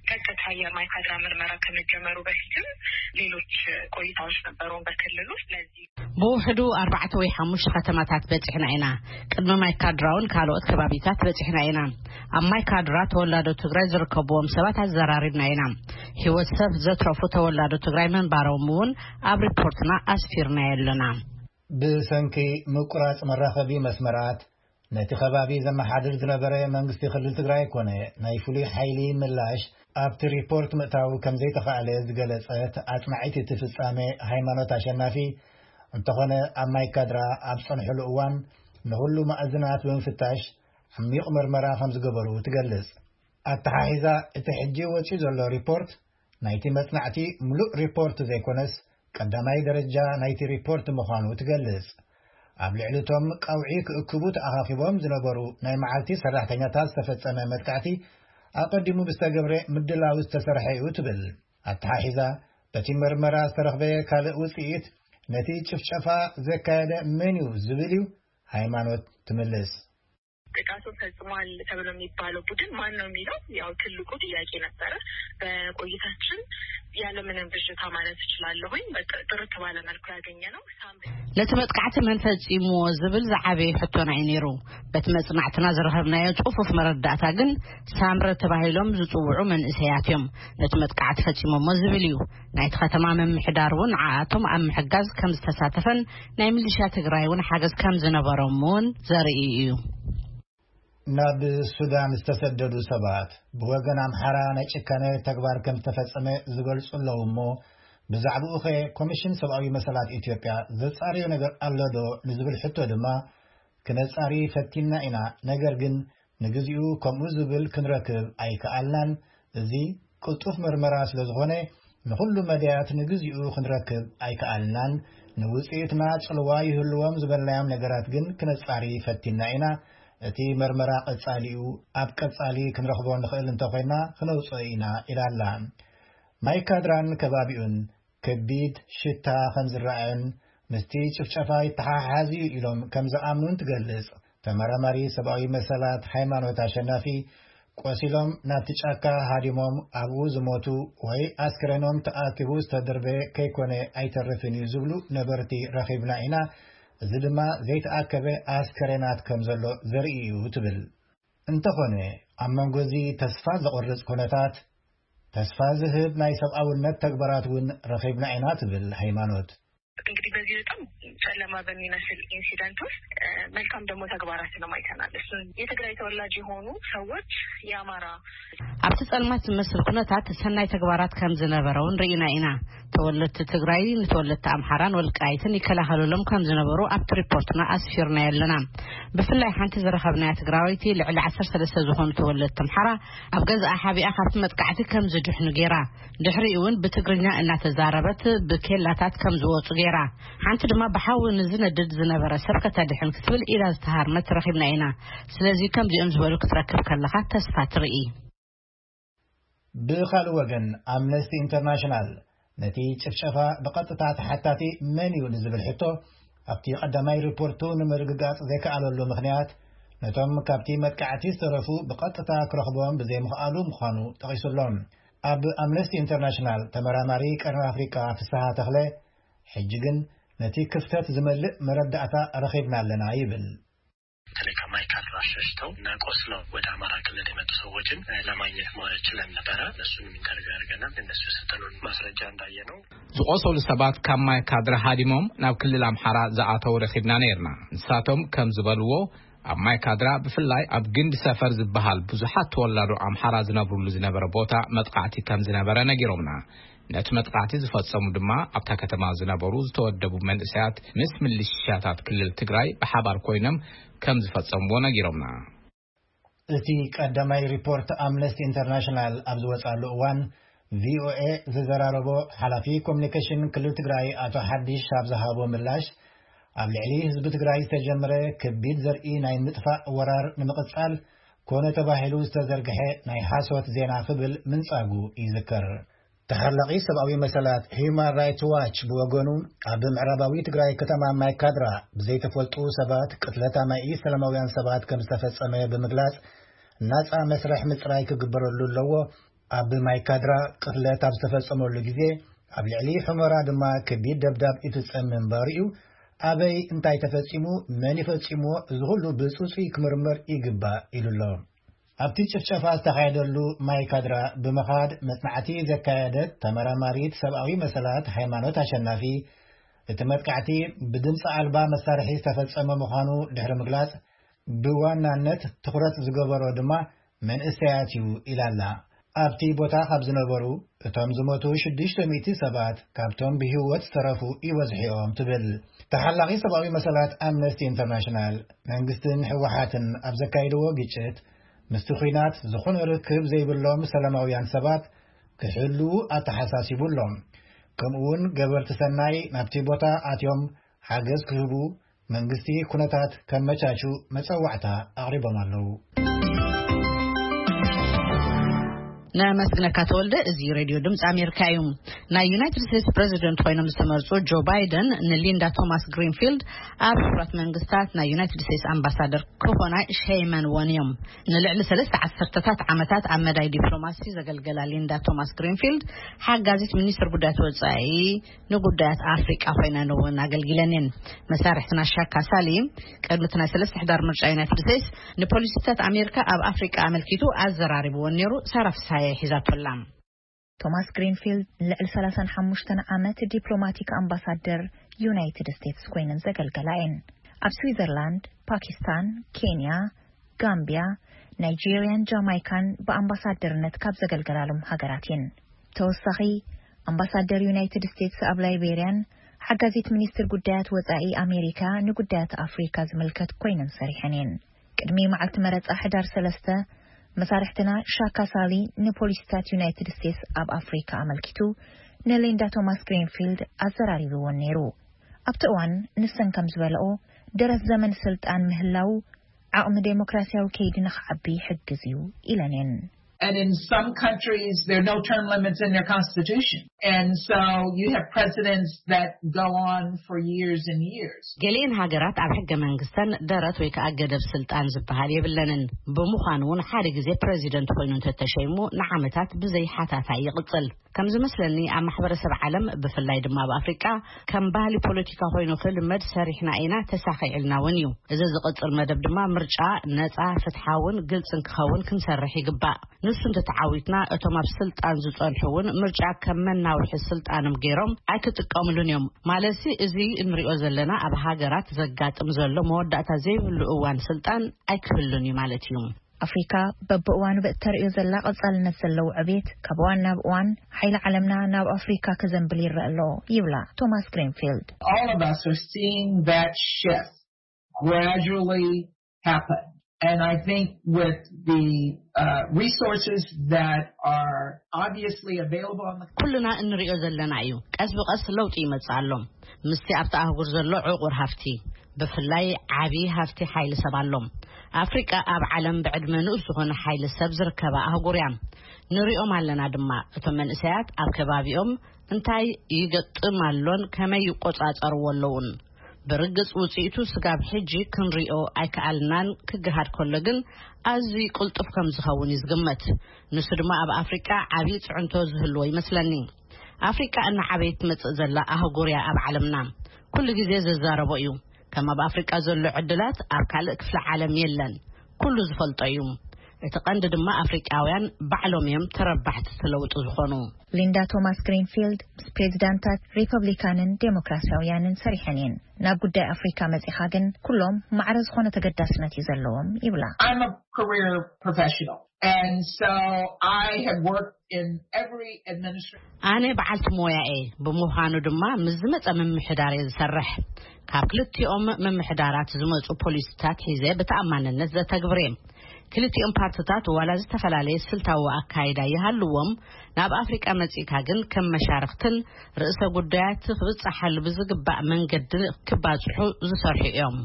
ቀጥታ የማይካድራ ምርመራ ከመጀመሩ በፊትም ሌሎች ቆይታዎች ነበሩን በክልሉ። ስለዚህ ብውሕዱ ኣርባዕተ ወይ ሓሙሽተ ከተማታት በጺሕና ኢና። ቅድሚ ማይካድራ እውን ካልኦት ከባቢታት በጺሕና ኢና። ኣብ ማይካድራ ተወላዶ ትግራይ ዝርከብዎም ሰባት ኣዘራሪብና ኢና። ህይወት ሰብ ዘትረፉ ተወላዶ ትግራይ ምንባሮም እውን ኣብ ሪፖርትና ኣስፊርናዮ ኣለና። ብሰንኪ ምቁራጽ መራኸቢ መስመራት፣ ነቲ ከባቢ ዘመሓድር ዝነበረ መንግስቲ ክልል ትግራይ ኮነ ናይ ፍሉይ ሓይሊ ምላሽ ኣብቲ ሪፖርት ምእታው ከም ዘይተኻእለ ዝገለጸት ኣጽናዒት እቲ ፍጻሜ ሃይማኖት ኣሸናፊ፣ እንተኾነ ኣብ ማይካድራ ኣብ ጸንሕሉ እዋን ንኹሉ ማእዝናት ብምፍታሽ ዓሚቕ መርመራ ከም ዝገበሩ ትገልጽ። ኣተሓሒዛ እቲ ሕጂ ወጺኡ ዘሎ ሪፖርት ናይቲ መጽናዕቲ ምሉእ ሪፖርት ዘይኮነስ ቀዳማይ ደረጃ ናይቲ ሪፖርት ምዃኑ ትገልጽ። ኣብ ልዕሊ እቶም ቀውዒ ክእክቡ ተኣኻኺቦም ዝነበሩ ናይ መዓልቲ ሰራሕተኛታት ዝተፈጸመ መጥቃዕቲ ኣቐዲሙ ብዝተገብረ ምድላው ዝተሰርሐ እዩ ትብል። ኣተሓሒዛ በቲ መርመራ ዝተረኽበ ካልእ ውጽኢት ነቲ ጭፍጨፋ ዘካየደ መን እዩ ዝብል እዩ። ሃይማኖት ትምልስ። ጥቃቱ ፈጽሟል ተብሎ የሚባለው ቡድን ማን ነው የሚለው ያው ትልቁ ጥያቄ ነበረ። በቆይታችን ያለምንም ብዥታ ማለት እችላለሁኝ በጥ- ጥርት ባለ መልኩ ያገኘ ነው ሳምሪ ነቲ መጥቃዕቲ መን ፈጺምዎ ዝብል ዝዓበየ ሕቶና እዩ ነይሩ። በቲ መጽናዕትና ዝረኸብናዮ ጽፉፍ መረዳእታ ግን ሳምረ ተባሂሎም ዝጽውዑ መንእሰያት እዮም ነቲ መጥቃዕቲ ፈጺሞሞ ዝብል እዩ። ናይቲ ከተማ ምምሕዳር እውን ንዓኣቶም ኣብ ምሕጋዝ ከም ዝተሳተፈን ናይ ሚሊሻ ትግራይ እውን ሓገዝ ከም ዝነበሮም እውን ዘርኢ እዩ። ናብ ሱዳን ዝተሰደዱ ሰባት ብወገን ኣምሓራ ናይ ጭካነ ተግባር ከም ዝተፈጸመ ዝገልጹ ኣለዉ እሞ፣ ብዛዕባኡ ኸ ኮሚሽን ሰብኣዊ መሰላት ኢትዮጵያ ዘጻርዮ ነገር ኣሎ ዶ ንዝብል ሕቶ ድማ፣ ክነጻሪ ፈቲና ኢና፣ ነገር ግን ንግዚኡ ከምኡ ዝብል ክንረክብ ኣይከኣልናን። እዚ ቅልጡፍ መርመራ ስለ ዝኾነ፣ ንኹሉ መዳያት ንግዚኡ ክንረክብ ኣይከኣልናን። ንውጽኢትና ጽልዋ ይህልዎም ዝበልናዮም ነገራት ግን ክነጻሪ ፈቲና ኢና። እቲ መርመራ ቀጻሊ እዩ። ኣብ ቀጻሊ ክንረኽቦ ንኽእል እንተኾይና ክነውጽኦ ኢና ኢላ ኣላ። ማይ ካድራን ከባቢኡን ከቢድ ሽታ ከም ዝረኣዮን ምስቲ ጭፍጨፋ ይተሓሓዝ እዩ ኢሎም ከም ዝኣምኑን ትገልጽ። ተመራማሪ ሰብኣዊ መሰላት ሃይማኖት ኣሸናፊ፣ ቆሲሎም ናብቲ ጫካ ሃዲሞም ኣብኡ ዝሞቱ ወይ ኣስክሬኖም ተኣኪቡ ዝተደርበ ከይኮነ ኣይተርፍን እዩ ዝብሉ ነበርቲ ረኺብና ኢና። እዚ ድማ ዘይተኣከበ ኣስከሬናት ከም ዘሎ ዘርኢ እዩ ትብል። እንተኾነ ኣብ መንጎ እዚ ተስፋ ዘቑርጽ ኩነታት፣ ተስፋ ዝህብ ናይ ሰብኣውነት ተግባራት እውን ረኺብና ኢና ትብል ሃይማኖት። እንግዲህ በዚህ በጣም ጨለማ በሚመስል ኢንሲደንት ውስጥ እ፣ መልካም ደግሞ ተግባራትንም አይተናል። እሱን የትግራይ ተወላጅ የሆኑ ሰዎች የአማራ ኣብቲ ጸልማት ዝመስል ኩነታት ሰናይ ተግባራት ከም ዝነበረ እውን ርኢና ኢና። ተወለድቲ ትግራይ ንተወለድቲ ኣምሓራን ወልቃይትን ይከላኸሉሎም ከም ዝነበሩ ኣብቲ ሪፖርትና ኣስፊርናዮ ኣለና። ብፍላይ ሓንቲ ዝረኸብናያ ትግራወይቲ ልዕሊ ዓሰርተ ሰለስተ ዝኾኑ ተወለድቲ ኣምሓራ ኣብ ገዛኣ ሓቢኣ ካብቲ መጥቃዕቲ ከም ዝድሕኑ ገይራ፣ ድሕሪኡ እውን ብትግርኛ እናተዛረበት ብኬላታት ከም ዝወፁ ገይራ፣ ሓንቲ ድማ ብሓዊ ንዝነድድ ዝነበረ ሰብ ከተድሕን ክትብል ኢዳ ዝተሃርመት ረኺብና ኢና። ስለዚ ከምዚኦም ዝበሉ ክትረክብ ከለኻ ተስፋ ትርኢ። ብኻልእ ወገን ኣምነስቲ ኢንተርናሽናል ነቲ ጭፍጨፋ ብቐጥታ ተሓታቲ መን እዩ ንዝብል ሕቶ፣ ኣብቲ ቀዳማይ ሪፖርቱ ንምርግጋጽ ዘይከኣለሉ ምኽንያት፣ ነቶም ካብቲ መጥቃዕቲ ዝተረፉ ብቐጥታ ክረኽቦም ብዘይምኽኣሉ ምዃኑ ጠቒሱሎም። ኣብ ኣምነስቲ ኢንተርናሽናል ተመራማሪ ቀርኒ ኣፍሪቃ ፍስሃ ተኽለ፣ ሕጂ ግን ነቲ ክፍተት ዝመልእ መረዳእታ ረኺብና ኣለና ይብል። በተለይ ከማይካድራ ሸሽተው እና ቆስለው ወደ አማራ ክልል የመጡ ሰዎችን ለማግኘት ችለን ነበረ። እነሱንም ኢንተርቪው አድርገናል። እነሱ የሰጠኑን ማስረጃ እንዳየ ነው። ዝቆሰሉ ሰባት ካብ ማይካድራ ሃዲሞም ናብ ክልል ኣምሓራ ዝኣተው ረኺብና ነይርና። ንሳቶም ከም ዝበልዎ፣ ኣብ ማይካድራ ብፍላይ ኣብ ግንዲ ሰፈር ዝበሃል ብዙሓት ተወላዶ ኣምሓራ ዝነብሩሉ ዝነበረ ቦታ መጥቃዕቲ ከም ዝነበረ ነጊሮምና። ነቲ መጥቃዕቲ ዝፈጸሙ ድማ ኣብታ ከተማ ዝነበሩ ዝተወደቡ መንእሰያት ምስ ምልሽያታት ክልል ትግራይ ብሓባር ኮይኖም ከም ዝፈጸምዎ ነጊሮምና። እቲ ቀዳማይ ሪፖርት ኣምነስቲ ኢንተርናሽናል ኣብ ዝወጻሉ እዋን፣ ቪኦኤ ዝዘራረቦ ሓላፊ ኮሚኒኬሽን ክልል ትግራይ ኣቶ ሓዲሽ ኣብ ዝሃቦ ምላሽ፣ ኣብ ልዕሊ ህዝቢ ትግራይ ዝተጀመረ ከቢድ ዘርኢ ናይ ምጥፋእ ወራር ንምቕጻል ኮነ ተባሂሉ ዝተዘርግሐ ናይ ሓሶት ዜና ክብል ምንጻጉ ይዝከር። ተሓላቒ ሰብኣዊ መሰላት ሂዩማን ራይትስ ዋች ብወገኑ፣ ኣብ ምዕራባዊ ትግራይ ከተማ ማይካድራ ብዘይተፈልጡ ሰባት ቅትለት ኣማኢ ሰላማውያን ሰባት ከም ዝተፈጸመ ብምግላጽ፣ ናጻ መስርሕ ምጽራይ ክግበረሉ ኣለዎ። ኣብ ማይካድራ ቅትለት ኣብ ዝተፈጸመሉ ግዜ፣ ኣብ ልዕሊ ሑመራ ድማ ከቢድ ደብዳብ ይፍጸም ምንባሩ እዩ። ኣበይ እንታይ ተፈጺሙ፣ መን ይፈጺምዎ፣ እዚ ኩሉ ብጽጹይ ክምርመር ይግባእ ኢሉ ኣሎ። ኣብቲ ጭፍጨፋ ዝተኻየደሉ ማይካድራ ብምኻድ መጽናዕቲ ዘካየደት ተመራማሪት ሰብኣዊ መሰላት ሃይማኖት ኣሸናፊ፣ እቲ መጥቃዕቲ ብድምፂ ኣልባ መሳርሒ ዝተፈጸመ ምዃኑ ድሕሪ ምግላጽ፣ ብዋናነት ትኹረት ዝገበሮ ድማ መንእሰያት እዩ ኢላ ኣላ። ኣብቲ ቦታ ካብ ዝነበሩ፣ እቶም ዝሞቱ ሽዱሽተ ሚእቲ ሰባት ካብቶም ብህይወት ዝተረፉ ይበዝሑ እዮም ትብል። ተሓላቒ ሰብኣዊ መሰላት ኣምነስቲ ኢንተርናሽናል፣ መንግስትን ህወሓትን ኣብ ዘካየድዎ ግጭት፣ ምስቲ ኲናት ዝኾነ ርክብ ዘይብሎም ሰላማውያን ሰባት ክሕልዉ ኣተሓሳሲቡ ኣሎ። ከምኡውን ገበርቲ ሰናይ ናብቲ ቦታ ኣትዮም ሓገዝ ክህቡ መንግስቲ ኩነታት ከመቻቹ መጸዋዕታ ኣቕሪቦም ኣለዉ። ነመስግነካ ተወልደ። እዚ ሬድዮ ድምፂ ኣሜሪካ እዩ። ናይ ዩናይትድ ስቴትስ ፕሬዚደንት ኮይኖም ዝተመርፁ ጆ ባይደን ንሊንዳ ቶማስ ግሪንፊልድ ኣብ ሕቡራት መንግስታት ናይ ዩናይትድ ስቴትስ ኣምባሳደር ክኾና ሸይመንወን እዮም። ንልዕሊ ሰለስተ ዓሰርተታት ዓመታት ኣብ መዳይ ዲፕሎማሲ ዘገልገላ ሊንዳ ቶማስ ግሪንፊልድ፣ ሓጋዚት ሚኒስትር ጉዳያት ወፃኢ ንጉዳያት ኣፍሪቃ ኮይነን እውን ኣገልጊለን እየን። መሳርሕትና ሻካ ሳሊ ቅድሚ እቲ ናይ ሰለስተ ሕዳር ምርጫ ዩናይትድ ስቴትስ ንፖሊሲታት ኣሜሪካ ኣብ ኣፍሪቃ ኣመልኪቱ ኣዘራሪብዎን ነይሩ። ሳራ ፍስሃየ ሒዛቶ ኣላ። ቶማስ ግሪንፊልድ ንልዕሊ ሰላሳን ሓሙሽተን ዓመት ዲፕሎማቲክ ኣምባሳደር ዩናይትድ ስቴትስ ኮይነን ዘገልገላ እየን። ኣብ ስዊዘርላንድ፣ ፓኪስታን፣ ኬንያ፣ ጋምቢያ፣ ናይጄሪያን ጃማይካን ብኣምባሳደርነት ካብ ዘገልገላሎም ሃገራት እየን። ተወሳኺ፣ ኣምባሳደር ዩናይትድ ስቴትስ ኣብ ላይቤርያን ሓጋዚት ሚኒስትር ጉዳያት ወጻኢ ኣሜሪካ ንጉዳያት ኣፍሪካ ዝምልከት ኮይነን ሰሪሐን እየን። ቅድሚ መዓልቲ መረጻ ሕዳር ሰለስተ፣ መሳርሕትና ሻካ ሳሊ ንፖሊሲታት ዩናይትድ ስቴትስ ኣብ ኣፍሪካ ኣመልኪቱ ንሊንዳ ቶማስ ግሪንፊልድ ኣዘራሪብዎን ነይሩ። ኣብቲ እዋን ንሰን ከም ዝበለኦ፣ ደረት ዘመን ስልጣን ምህላው ዓቕሚ ዴሞክራሲያዊ ከይዲ ንኽዓቢ ይሕግዝ እዩ ኢለን እየን። And in some countries, there are no term limits in their constitution. And so you have presidents that go on for years and years. ገሊኤን ሃገራት ኣብ ሕገ መንግስተን ደረት ወይ ከዓ ገደብ ስልጣን ዝበሃል የብለንን። ብምዃኑ እውን ሓደ ግዜ ፕሬዚደንት ኮይኑ እንተተሸይሙ ንዓመታት ብዘይ ሓታታይ ይቕፅል። ከም ዝመስለኒ ኣብ ማሕበረሰብ ዓለም ብፍላይ ድማ ኣብ ኣፍሪቃ ከም ባህሊ ፖለቲካ ኮይኑ ክልመድ ሰሪሕና ኢና፣ ተሳኺዕልና እውን እዩ። እዚ ዝቕፅል መደብ ድማ ምርጫ ነፃ፣ ፍትሓውን ግልፅን ክኸውን ክንሰርሕ ይግባእ። ንሱ እንተተዓዊትና እቶም ኣብ ስልጣን ዝፀንሑ እውን ምርጫ ከም መናውሒ ስልጣኖም ገይሮም ኣይክጥቀምሉን እዮም። ማለትሲ እዚ እንሪኦ ዘለና ኣብ ሃገራት ዘጋጥም ዘሎ መወዳእታ ዘይብሉ እዋን ስልጣን ኣይክህሉን እዩ ማለት እዩ። ኣፍሪካ በብእዋኑ ብእተርእዮ ዘላ ቀጻልነት ዘለዎ ዕቤት ካብ እዋን ናብ እዋን ሓይሊ ዓለምና ናብ ኣፍሪካ ክዘንብል ይረአ ኣሎ ይብላ ቶማስ ግሪንፊልድ። All of us are seeing that shift gradually happen. And I think with the uh, resources that are obviously available on the ኩልና እንሪኦ ዘለና እዩ። ቀስ ብቀስ ለውጢ ይመጽእ ኣሎ። ምስቲ ኣብቲ ኣህጉር ዘሎ ዕቑር ሃፍቲ ብፍላይ ዓቢ ሃፍቲ ሓይሊ ሰብ ኣሎ። ኣፍሪቃ ኣብ ዓለም ብዕድመ ንኡስ ዝኾነ ሓይሊ ሰብ ዝርከባ ኣህጉር እያ። ንሪኦም ኣለና ድማ፣ እቶም መንእሰያት ኣብ ከባቢኦም እንታይ ይገጥም ኣሎን ከመይ ይቆጻጸርዎ ኣለውን። ብርግጽ ውጽኢቱ ስጋብ ሕጂ ክንሪኦ ኣይከኣልናን፣ ክገሃድ ከሎ ግን ኣዝዩ ቅልጡፍ ከም ዝኸውን እዩ ዝግመት። ንሱ ድማ ኣብ ኣፍሪቃ ዓብዪ ጽዕንቶ ዝህልዎ ይመስለኒ። ኣፍሪቃ እናዓበየት ትመጽእ ዘላ ኣህጉር እያ ኣብ ዓለምና። ኩሉ ግዜ ዝዛረቦ እዩ። ከም ኣብ ኣፍሪቃ ዘሎ ዕድላት ኣብ ካልእ ክፍለ ዓለም የለን። ኩሉ ዝፈልጦ እዩ። እቲ ቀንዲ ድማ ኣፍሪቃውያን ባዕሎም እዮም ተረባሕቲ እቲ ለውጢ ዝኾኑ። ሊንዳ ቶማስ ግሪንፊልድ ምስ ፕሬዚዳንታት ሪፐብሊካንን ዴሞክራሲያውያንን ሰሪሐን እየን። ናብ ጉዳይ ኣፍሪካ መጺኻ ግን ኩሎም ማዕረ ዝኾነ ተገዳስነት እዩ ዘለዎም ይብላ። I'm a career professional. And so I have worked in every administration. ኣነ በዓልቲ ሞያ እየ። ብምዃኑ ድማ ምስ ዝመጸ ምምሕዳር እየ ዝሰርሕ። ካብ ክልቲኦም ምምሕዳራት ዝመጹ ፖሊሲታት ሒዘ ብተኣማንነት ዘተግብር እየ። ክልቲኦም ፓርትታት ዋላ ዝተፈላለየ ስልታዊ ኣካይዳ ይሃልዎም፣ ናብ ኣፍሪቃ መጺእካ ግን ከም መሻርኽትን ርእሰ ጉዳያት ክብጻሓሉ ብዝግባእ መንገዲ ክባጽሑ ዝሰርሑ እዮም።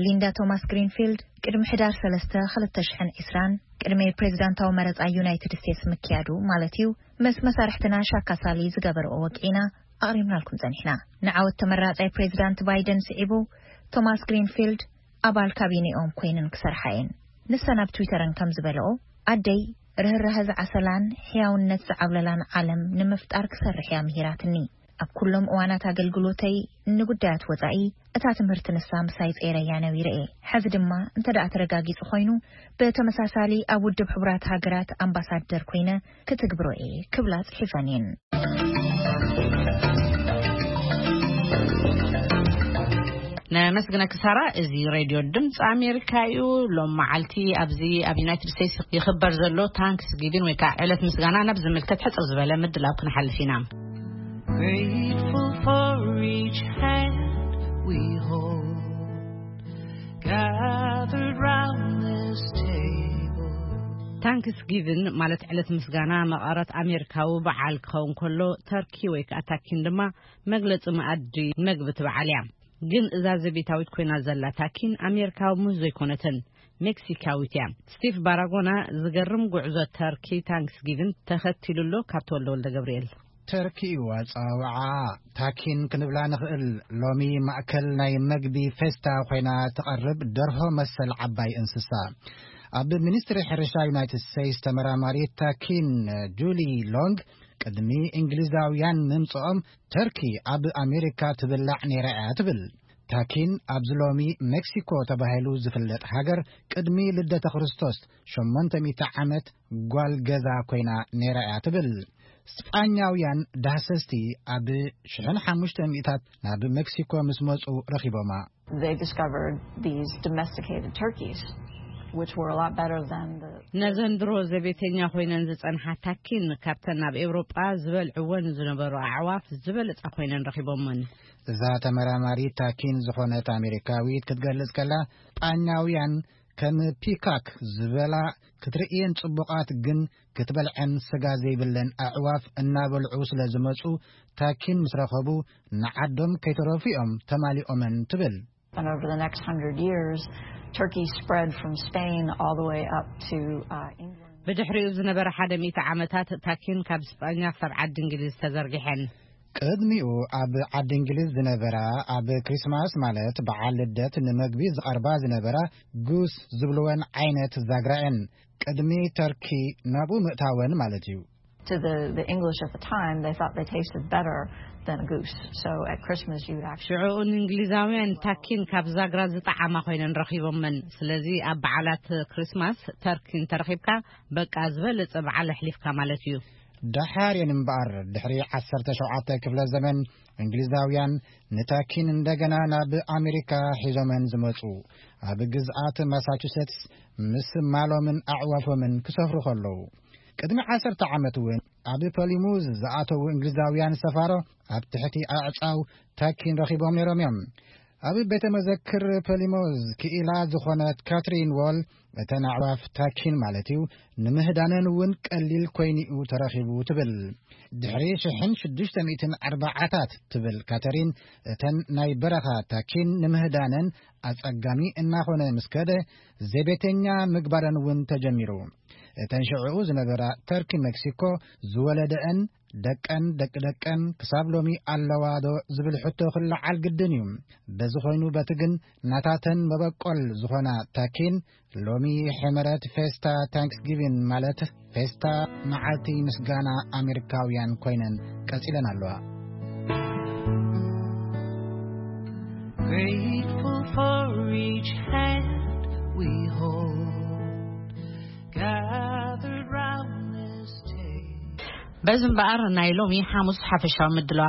ሊንዳ ቶማስ ግሪንፊልድ ቅድሚ ሕዳር ሰለስተ ክልተ ሽሕን ዕስራን ቅድሚ ፕሬዚዳንታዊ መረጻ ዩናይትድ ስቴትስ ምክያዱ ማለት እዩ፣ ምስ መሳርሕትና ሻካ ሳሊ ዝገበርኦ ወግዒና ኣቕሪብናልኩም ጸኒሕና። ንዓወት ተመራጻይ ፕሬዚዳንት ባይደን ስዒቡ ቶማስ ግሪንፊልድ ኣባል ካቢኔኦም ኮይነን ክሰርሓ እየን። ንሰን ኣብ ትዊተረን ከም ዝበለኦ፣ ኣደይ ርህራሀ ዝዓሰላን ሕያውነት ዝዓብለላን ዓለም ንምፍጣር ክሰርሕ እያ ምሂራትኒ። ኣብ ኩሎም እዋናት ኣገልግሎተይ ንጉዳያት ወጻኢ እታ ትምህርቲ ንሳ ምሳይ ጸይረያ ነቢረ እየ። ሕዚ ድማ እንተ ደኣ ተረጋጊጹ ኮይኑ፣ ብተመሳሳሊ ኣብ ውድብ ሕቡራት ሃገራት ኣምባሳደር ኮይነ ክትግብሮ እየ ክብላ ጽሒፈን እየን። ነመስግነኪ ሳራ። እዚ ሬድዮ ድምፂ ኣሜሪካ እዩ። ሎም መዓልቲ ኣብዚ ኣብ ዩናይትድ ስቴትስ ይኽበር ዘሎ ታንክስ ጊቪን ወይ ከዓ ዕለት ምስጋና ናብ ዝምልከት ሕፅር ዝበለ ምድላው ክንሓልፍ ኢና። Grateful for each hand we hold, gathered round this table. ታንክስ ጊቪን ማለት ዕለት ምስጋና መቐረት ኣሜሪካዊ በዓል ክኸውን ከሎ፣ ተርኪ ወይ ከዓ ታኪን ድማ መግለፂ መኣዲ መግቢ እቲ በዓል እያ። ግን እዛ ዘቤታዊት ኮይና ዘላ ታኪን ኣሜሪካዊ ሙዝ ዘይኮነትን፣ ሜክሲካዊት እያ። ስቲቭ ባራጎና ዝገርም ጉዕዞ ተርኪ ታንክስ ጊቪን ተኸቲሉ ኣሎ። ካብ ተወልደ ወልደ ገብርኤል። ተርኪ እዩ ኣጸዋውዓ። ታኪን ክንብላ ንኽእል። ሎሚ ማእከል ናይ መግቢ ፌስታ ኮይና ትቐርብ ደርሆ መሰል ዓባይ እንስሳ። ኣብ ሚኒስትሪ ሕርሻ ዩናይትድ ስቴትስ ተመራማሪ ታኪን ጁሊ ሎንግ፣ ቅድሚ እንግሊዛውያን ምምጽኦም ተርኪ ኣብ ኣሜሪካ ትብላዕ ነይራ እያ ትብል። ታኪን ኣብዚ ሎሚ ሜክሲኮ ተባሂሉ ዝፍለጥ ሃገር ቅድሚ ልደተ ክርስቶስ ሸሞንተ ሚእቲ ዓመት ጓል ገዛ ኮይና ነይራ እያ ትብል። ስጳኛውያን ዳህሰስቲ ኣብ ሽሕን ሓሙሽተ ሚእታት ናብ ሜክሲኮ ምስ መጹ ረኺቦማ። They discovered these domesticated turkeys, which were a lot better than the ነዘን ድሮ ዘቤተኛ ኮይነን ዝጸንሓ ታኪን ካብተን ኣብ ኤውሮጳ ዝበልዕወን ዝነበሩ ኣዕዋፍ ዝበለጻ ኮይነን ረኺቦመን። እዛ ተመራማሪ ታኪን ዝኾነት ኣሜሪካዊት ክትገልጽ ከላ፣ ስጳኛውያን ከም ፒካክ ዝበላ ክትርእየን ጽቡቓት ግን ክትበልዐን ስጋ ዘይብለን ኣዕዋፍ እናበልዑ ስለ ዝመጹ፣ ታኪን ምስ ረኸቡ ንዓዶም ከይተረፉ እዮም ተማሊኦመን ትብል። And over the next hundred years, turkeys spread from Spain all the way up to uh, England. ብድሕሪኡ ዝነበረ ሓደ ሚእቲ ዓመታት ታኪን ካብ ስጳኛ ክሳብ ዓዲ እንግሊዝ ተዘርጊሐን። ቅድሚኡ ኣብ ዓዲ እንግሊዝ ዝነበራ፣ ኣብ ክሪስማስ ማለት በዓል ልደት ንመግቢ ዝቐርባ ዝነበራ ጉስ ዝብልወን ዓይነት ዛግራ እየን። ቅድሚ ተርኪ ናብኡ ምእታወን ማለት እዩ። To the, the English at the time, they thought they tasted better than a goose. So at Christmas, you would actually ሽዑኡ ንእንግሊዛውያን ታኪን ካብ ዛግራ ዝጠዓማ ኮይነን ረኺቦመን። ስለዚ ኣብ በዓላት ክሪስማስ ተርኪ እንተረኺብካ፣ በቃ ዝበለጸ በዓል ኣሕሊፍካ ማለት እዩ። ደሓር እየን እምበኣር፣ ድሕሪ ዓሰርተ ሸውዓተ ክፍለ ዘመን እንግሊዛውያን ንታኪን እንደገና ናብ ኣሜሪካ ሒዞመን ዝመጹ፣ ኣብ ግዝኣት ማሳቹሴትስ ምስ ማሎምን ኣዕዋፎምን ክሰፍሩ ከለዉ። ቅድሚ ዓሰርተ ዓመት እውን ኣብ ፖሊሙዝ ዝኣተዉ እንግሊዛውያን ሰፋሮ ኣብ ትሕቲ ኣዕጻው ታኪን ረኺቦም ነይሮም እዮም። ኣብ ቤተ መዘክር ፖሊሞዝ ክኢላ ዝኾነት ካትሪን ዎል፣ እተን ኣዕዋፍ ታኪን ማለት እዩ፣ ንምህዳነን እውን ቀሊል ኮይኑ'ዩ ተረኺቡ ትብል። ድሕሪ ሽሕን ሽዱሽተ ሚእትን ኣርባዓታት ትብል ካተሪን፣ እተን ናይ በረኻ ታኪን ንምህዳነን ኣጸጋሚ እናኾነ ምስ ከደ፣ ዘቤተኛ ምግባረን እውን ተጀሚሩ። እተን ሽዕኡ ዝነበራ ተርኪ ሜክሲኮ ዝወለደአን ደቀን ደቂ ደቀን ክሳብ ሎሚ ኣለዋ ዶ ዝብል ሕቶ ክለዓል ግድን እዩ። በዚ ኮይኑ በቲ ግን ናታተን መበቆል ዝኾና ታኪን ሎሚ ሕመረት ፌስታ ታንክስጊቪን ማለት ፌስታ መዓልቲ ምስጋና ኣሜሪካውያን ኮይነን ቀጺለን ኣለዋ። Grateful for each hand we hold, gathered round this table. በዚ እምበኣር ናይ ሎሚ ሓሙስ ሓፈሻዊ ምድላው